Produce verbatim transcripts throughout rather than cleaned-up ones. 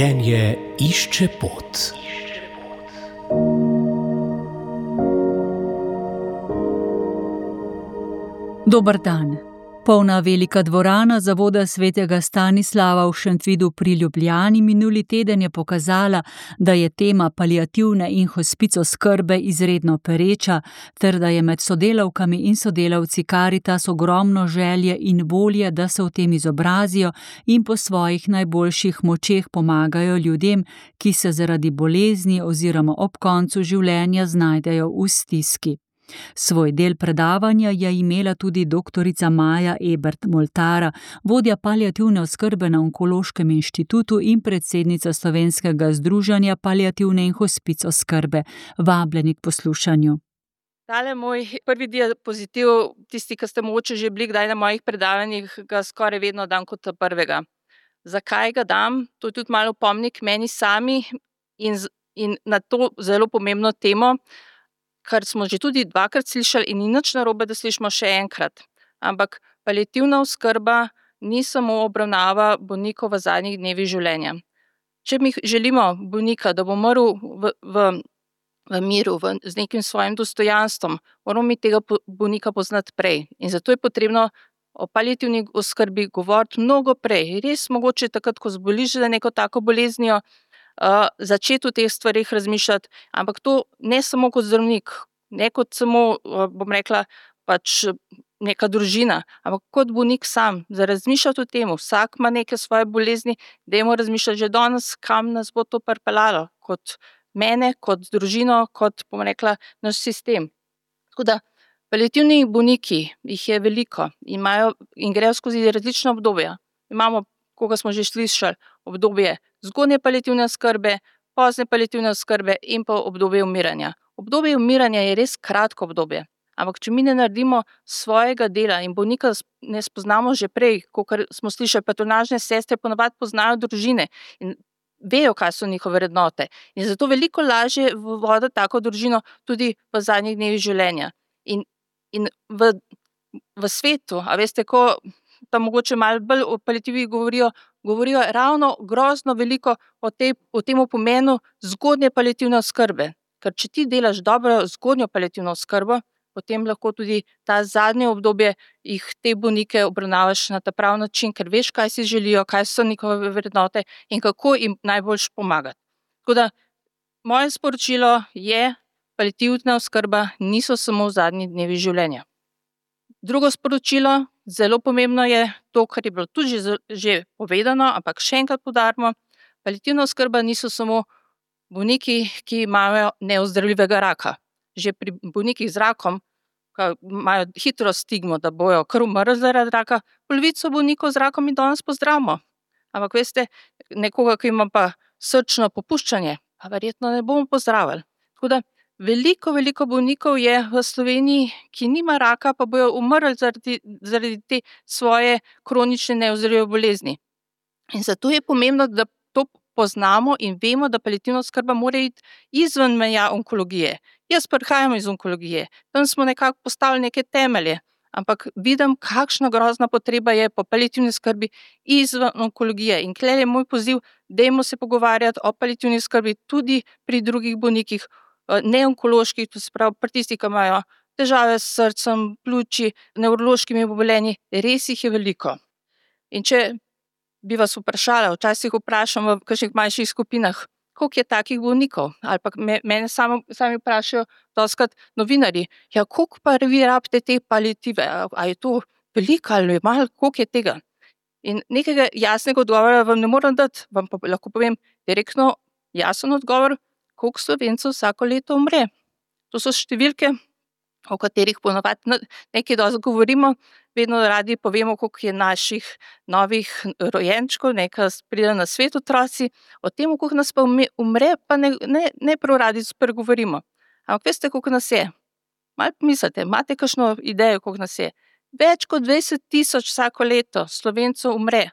Življenje išče pot. Dober dan. Polna velika dvorana Zavoda svetega Stanislava v Šentvidu pri Ljubljani minuli teden je pokazala, da je tema paliativne in hospic oskrbe izredno pereča, ter da je med sodelavkami in sodelavci Karitas ogromno želje in volje, da se v tem izobrazijo in po svojih najboljših močeh pomagajo ljudem, ki se zaradi bolezni oziroma ob koncu življenja znajdejo v stiski. Svoj del predavanja je imela tudi doktorica Maja Ebert Moltara, vodja paliativne oskrbe na Onkološkem inštitutu in predsednica Slovenskega združenja paliativne in hospic oskrbe. Vabljeni k poslušanju. Tale moj prvi diapozitiv, tisti, ki ste mogoče že bili kdaj na mojih predavanjih, ga skoraj vedno dam kot prvega. Zakaj ga dam? To je tudi malo pomnik meni sami in, in na to zelo pomembno temo, kar smo že tudi dvakrat slišali in ni nič narobe, da slišimo še enkrat. Ampak paliativna oskrba ni samo obravnava bolnikov v zadnjih dnevih življenja. Če mi želimo bolnika, da bo umrl v, v, v miru, v, z nekim svojim dostojanstvom, moramo mi tega bolnika poznati prej. In zato je potrebno o paliativni oskrbi govoriti mnogo prej. Res mogoče takrat, ko zboliš za neko tako boleznijo, Uh, začeti o teh stvarih razmišljati, ampak to ne samo kot zdravnik, ne kot samo, uh, bom rekla, pač neka družina, ampak kot bolnik sam, da razmišljati o tem, vsak ima neke svoje bolezni, dajmo razmišljati že danes, kam nas bo to pripeljalo, kot mene, kot družino, kot, bom rekla, naš sistem. Tako da, paliativni bolniki, jih je veliko, imajo in grejo skozi različna obdobja. Imamo, koga smo že slišali, obdobje zgodnje paliativne oskrbe, pozne paliativne oskrbe in pa obdobje umiranja. Obdobje umiranja je res kratko obdobje, ampak če mi ne naredimo svojega dela in bolnika ne spoznamo že prej, kakor smo slišali, patronažne sestre ponavadi poznajo družine in vejo, kaj so njihove vrednote. In zato veliko lažje voditi tako družino tudi v zadnjih dnevih življenja. In, in v, v svetu, a veste, ko tam mogoče malo bolj o paliativi govorijo, govorijo ravno grozno veliko o, te, o tem pomenu zgodnje paliativne oskrbe. Ker če ti delaš dobro zgodnjo paliativno oskrbo, potem lahko tudi ta zadnje obdobje jih te bolnike obravnavaš na ta prav način, ker veš, kaj si želijo, kaj so njihove vrednote in kako jim najboljš pomagati. Tako da, moje sporočilo je, paliativna oskrba niso samo v zadnjih dnevih življenja. Drugo sporočilo, zelo pomembno je to, kar je bilo tudi že, že povedano, ampak še enkrat poudarimo, paliativna oskrba niso samo bolniki, ki imajo neozdravljivega raka. Že pri bolnikih z rakom, ki imajo hitro stigmo, da bojo kar umrli zaradi raka, polovico bolnikov z rakom mi danes pozdravimo. Ampak veste, nekoga, ki ima pa srčno popuščanje, pa verjetno ne bomo pozdravili. Tako da, Veliko, veliko bolnikov je v Sloveniji, ki nima raka, pa bojo umrli zaradi, zaradi te svoje kronične neozdravljive bolezni. In zato je pomembno, da to poznamo in vemo, da paliativna oskrba mora iti izven meja onkologije. Jaz prihajam iz onkologije, tam smo nekako postavili neke temelje, ampak vidim, kakšna grozna potreba je po paliativni oskrbi izven onkologije. In tukaj je moj poziv, dajmo se pogovarjati o paliativni oskrbi tudi pri drugih bolnikih, neonkoloških, to se pravi pri tistih, ki imajo težave s srcem, pljuči, nevrološkimi obolenji, res jih je veliko. In če bi vas vprašala, včasih vprašam v kakšnih manjših skupinah, koliko je takih bolnikov, ali pa me, mene samo, sami vprašajo dostikrat novinarji, ja, koliko pa vi rabite te paliative, a, a je to veliko ali malo, koliko je tega? In nekega jasnega odgovora vam ne morem dati, vam pa lahko povem direktno jasen odgovor, koliko Slovencev vsako leto umre. To so številke, o katerih ponavadi nekaj dosti govorimo, vedno radi povemo, koliko je naših novih rojenčkov, nekaj pride na svet otroci, o tem, koliko nas pa umre, pa ne, ne, ne prav radi spregovorimo. Ampak veste, koliko nas je? Malo pomislite, imate kakšno idejo, koliko nas je? Več kot dvajset tisoč vsako leto Slovencev umre.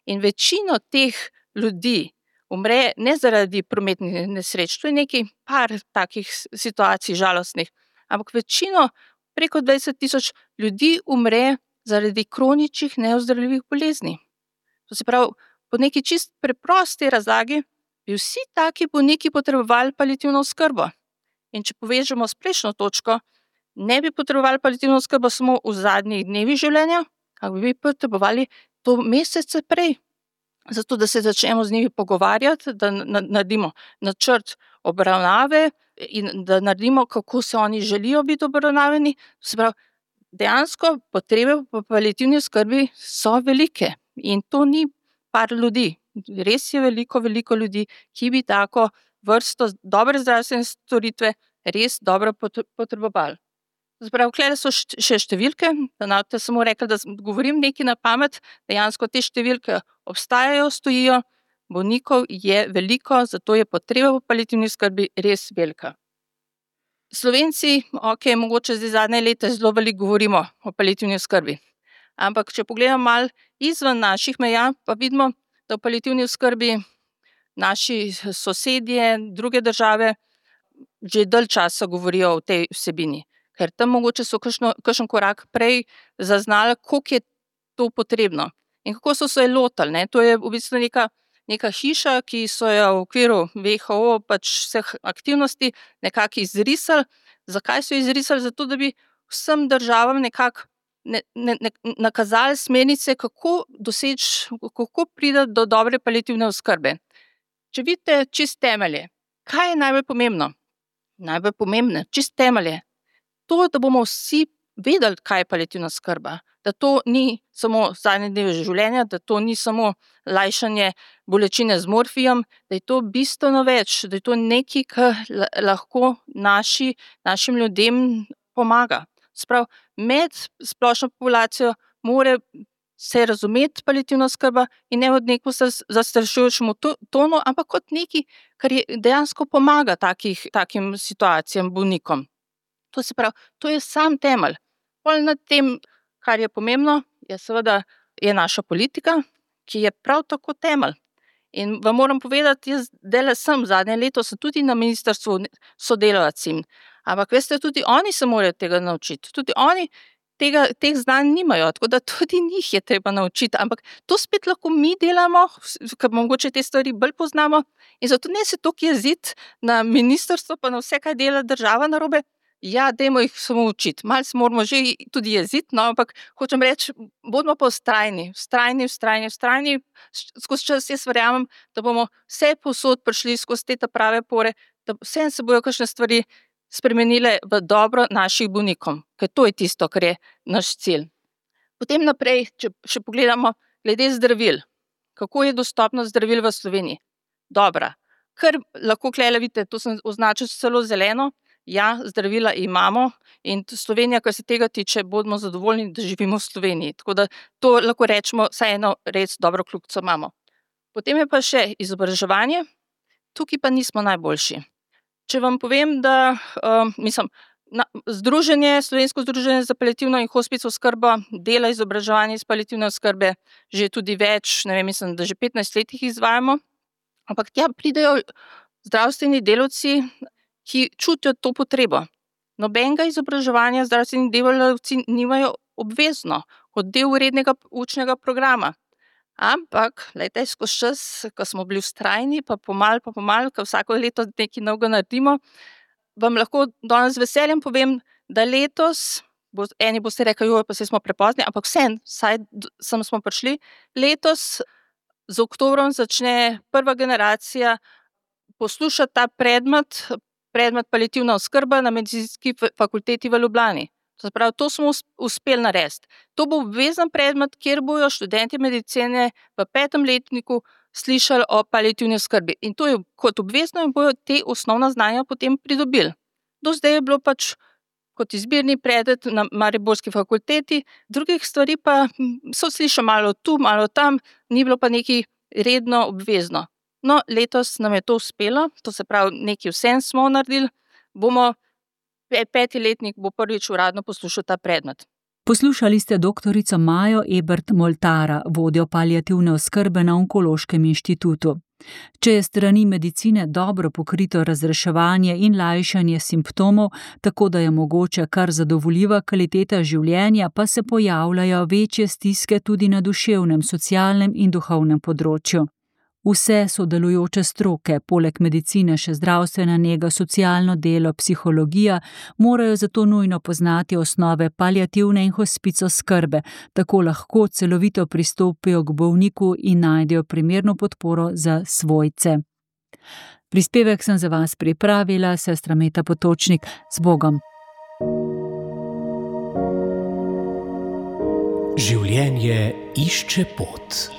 In večino teh ljudi umre ne zaradi prometnih nesreč, to je nekaj par takih situacij žalostnih, ampak večino, preko dvajset tisoč ljudi umre zaradi kroničnih neozdravljivih bolezni. To se pravi, po neki čist preprosti razlagi, bi vsi taki bolniki potrebovali paliativno oskrbo. In če povežemo s prejšnjo točko, ne bi potrebovali paliativno oskrbo samo v zadnjih dnevih življenja, ampak bi potrebovali to mesece prej. Zato, da se začnemo z njimi pogovarjati, da naredimo načrt obravnave in da naredimo, kako se oni želijo biti obravnavani. Se pravi, dejansko potrebe po paliativni oskrbi so velike in to ni par ljudi. Res je veliko, veliko ljudi, ki bi tako vrsto dobre zdravstvene storitve res dobro potrebovali. Zapravo, klede so še številke, da ne boste samo rekli, da govorim nekaj na pamet, dejansko te številke obstajajo, stojijo, bolnikov je veliko, zato je potreba po paliativni oskrbi res velika. Slovenci, ok, mogoče zdaj zadnje leta zelo veliko govorimo o paliativni oskrbi, ampak če pogledamo malo izven naših meja, pa vidimo, da v paliativni oskrbi naši sosedje, druge države že dalj časa govorijo o tej vsebini. Ker tam mogoče so kakšno, kakšen korak prej zaznali, koliko je to potrebno in kako so se lotili. Ne? To je v bistvu neka, neka hiša, ki so jo v okviru W H O pač vseh aktivnosti nekako izrisali. Zakaj so izrisali? Zato, da bi vsem državam nekako ne, ne, ne, nakazali smernice, kako doseči, kako priti do dobre paliativne oskrbe. Če vidite čist temelje, kaj je najbolj pomembno? Najbolj pomembno, čist temelje. To, da bomo vsi vedeli, kaj je paliativna oskrba, da to ni samo zadnje dneve življenja, da to ni samo lajšanje bolečine z morfijem, da je to bistveno več, da je to nekaj, kar lahko naši, našim ljudem pomaga. Sprav, med splošno populacijo mora se razumeti paliativna oskrba in ne od neko zastrašujočemu tonu, ampak kot nekaj, kar je dejansko pomaga takih, takim situacijam, bolnikom. To se pravi, to je sam temelj. Pol nad tem, kar je pomembno, je seveda je naša politika, ki je prav tako temelj. In vam moram povedati, jaz dela sem zadnje leto, sem tudi na ministrstvu sodelavcem, ampak veste, tudi oni se morajo tega naučiti. Tudi oni tega, teh znanj nimajo, tako da tudi njih je treba naučiti. Ampak to spet lahko mi delamo, ker mogoče te stvari bolj poznamo in zato ne se toliko jeziti na ministrstvo, pa na vse, kaj dela država narobe. Ja, dajmo jih samo učiti. Malo se moramo že tudi jeziti, no, ampak hočem reči, bodimo pa vztrajni, vztrajni, vztrajni, vztrajni. Skozi čas jaz verjamem, da bomo vse povsod prišli skozi te prave pore, da vse se bojo kakšne stvari spremenile v dobro naših bolnikom, ker to je tisto, kar je naš cilj. Potem naprej, če še pogledamo glede zdravil. Kako je dostopnost zdravil v Sloveniji? Dobra. Kar lahko klele vidite, to sem označil celo zeleno. Ja, zdravila imamo in Slovenija, kar se tega tiče, bodimo zadovoljni, da živimo v Sloveniji. Tako da to lahko rečemo, saj eno res dobro kljukico imamo. Potem je pa še izobraževanje. Tukaj pa nismo najboljši. Če vam povem, da uh, mislim, na, združenje, Slovensko združenje za paliativno in hospic oskrbo dela izobraževanje iz paliativne oskrbe že tudi več, ne vem, mislim, da že petnajst let jih izvajamo, ampak tja pridejo zdravstveni delavci, ki čutijo to potrebo. Nobenega izobraževanja zdravstveni delavci nimajo obvezno kot del rednega učnega programa. Ampak, glejte, skozi čas, ko smo bili vztrajni, pa pomal, pa pomal, ko vsako leto nekaj novega naredimo, vam lahko danes z veseljem povem, da letos, bo, eni boste rekli, jo, pa se smo prepozni, ampak vsem, saj sem smo prišli, letos z oktobrom začne prva generacija poslušati ta predmet, predmet paliativna oskrba na medicinski fakulteti v Ljubljani. To pravi, to smo uspeli narediti. To bo obvezen predmet, kjer bojo študenti medicine v petem letniku slišali o paliativni oskrbi. In to je kot obvezno in bojo te osnovna znanja potem pridobili. Do zdaj je bilo pač kot izbirni predmet na mariborski fakulteti, drugih stvari pa so slišali malo tu, malo tam, ni bilo pa nekaj redno obvezno. No, letos nam je to uspelo, to se pravi, nekaj vsem smo naredili, bomo, peti letnik bo prvič uradno poslušal ta predmet. Poslušali ste doktorico Majo Ebert Moltara, vodjo paliativne oskrbe na Onkološkem inštitutu. Če je strani medicine dobro pokrito razreševanje in lajšanje simptomov, tako da je mogoče kar zadovoljiva kvaliteta življenja, pa se pojavljajo večje stiske tudi na duševnem, socialnem in duhovnem področju. Vse sodelujoče stroke, poleg medicine še zdravstvena nega, socialno delo, psihologija, morajo zato nujno poznati osnove paliativne in hospic oskrbe, tako lahko celovito pristopijo k bolniku in najdejo primerno podporo za svojce. Prispevek sem za vas pripravila, sestra Meta Potočnik. Z Bogom. Življenje išče pot.